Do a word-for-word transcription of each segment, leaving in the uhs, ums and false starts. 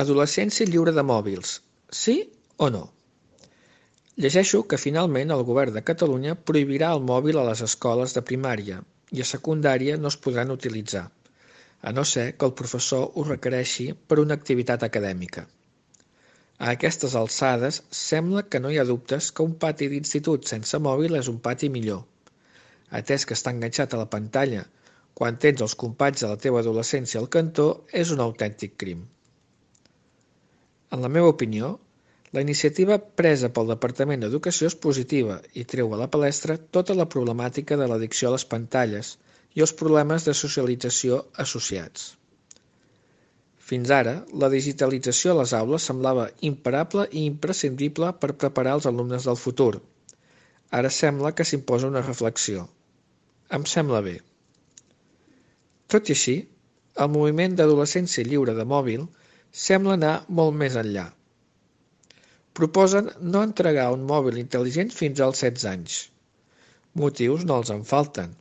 Adolescència lliure de mòbils, sí o no? Llegeixo que finalment el govern de Catalunya prohibirà el mòbil a les escoles de primària i a secundària no es podran utilitzar, a no ser que el professor ho requereixi per una activitat acadèmica. A aquestes alçades sembla que no hi ha dubtes que un pati d'institut sense mòbil és un pati millor, atès que estar enganxat a la pantalla quan tens els companys de la teva adolescència al cantó és un autèntic crim. En la meva opinió, la iniciativa presa pel Departament d'Educació és positiva i treu a la palestra tota la problemàtica de l'addicció a les pantalles i els problemes de socialització associats. Fins ara, la digitalització a les aules semblava imparable i imprescindible per preparar els alumnes del futur. Ara sembla que s'imposa una reflexió. Em sembla bé. Tot i així, el moviment d'adolescència lliure de mòbil sembla anar molt més enllà. Proposen no entregar un mòbil intel·ligent fins als setze anys. Motius no els en falten.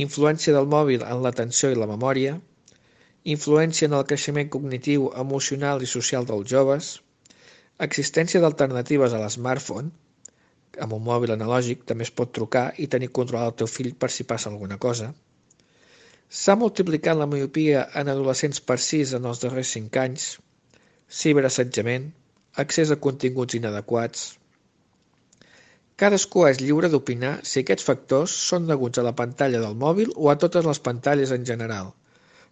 Influència del mòbil en l'atenció i la memòria, influència en el creixement cognitiu, emocional i social dels joves, existència d'alternatives a l'smartphone, amb un mòbil analògic també es pot trucar i tenir controlat el teu fill per si passa alguna cosa. S'ha multiplicat la miopia en adolescents per sis en els darrers cinc anys, ciberassetjament, accés a continguts inadequats. Cadascú és lliure d'opinar si aquests factors són deguts a la pantalla del mòbil o a totes les pantalles en general,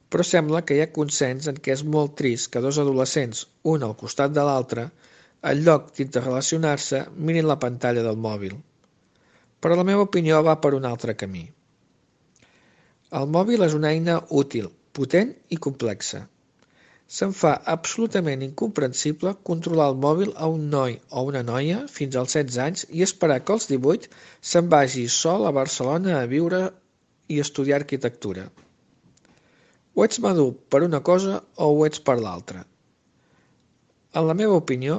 però sembla que hi ha consens en què és molt trist que dos adolescents, un al costat de l'altre, en lloc d'interrelacionar-se, mirin la pantalla del mòbil. Però la meva opinió va per un altre camí. El mòbil és una eina útil, potent i complexa. Se'm fa absolutament incomprensible controlar el mòbil a un noi o una noia fins als setze anys i esperar que als divuit se'n vagi sol a Barcelona a viure i estudiar arquitectura. O ets madur per una cosa o ho ets per l'altra. En la meva opinió,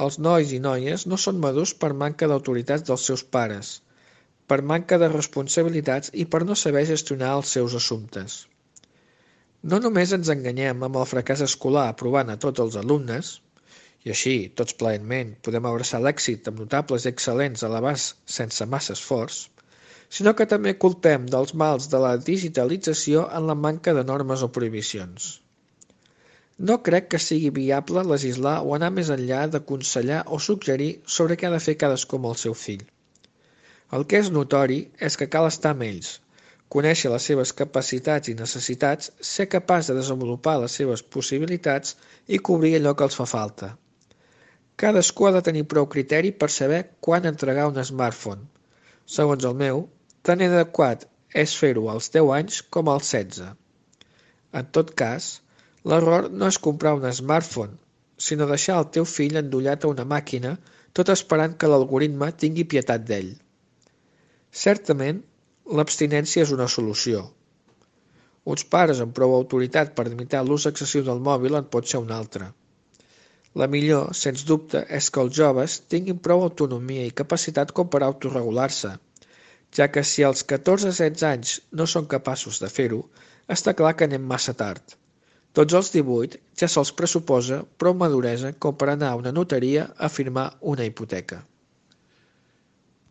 els nois i noies no són madurs per manca d'autoritats dels seus pares, per manca de responsabilitats i per no saber gestionar els seus assumptes. No només ens enganyem amb el fracàs escolar aprovant a tots els alumnes, i així, tots plaentment, podem abraçar l'èxit amb notables i excel·lents a l'abast sense massa esforç, sinó que també culpem dels mals de la digitalització en la manca de normes o prohibicions. No crec que sigui viable legislar o anar més enllà d'aconsellar o suggerir sobre què ha de fer cadascú amb el seu fill. El que és notori és que cal estar amb ells, conèixer les seves capacitats i necessitats, ser capaç de desenvolupar les seves possibilitats i cobrir allò que els fa falta. Cadascú ha de tenir prou criteri per saber quan entregar un smartphone. Segons el meu, tan adequat és fer-ho als deu anys com als setze. En tot cas, l'error no és comprar un smartphone, sinó deixar el teu fill endollat a una màquina tot esperant que l'algoritme tingui pietat d'ell. Certament, l'abstinència és una solució. Uns pares amb prou autoritat per limitar l'ús excessiu del mòbil en pot ser un altre. La millor, sens dubte, és que els joves tinguin prou autonomia i capacitat com per autoregular-se, ja que si als catorze a setze anys no són capaços de fer-ho, està clar que anem massa tard. Tots els divuit ja se'ls pressuposa prou maduresa com per anar a una notaria a firmar una hipoteca.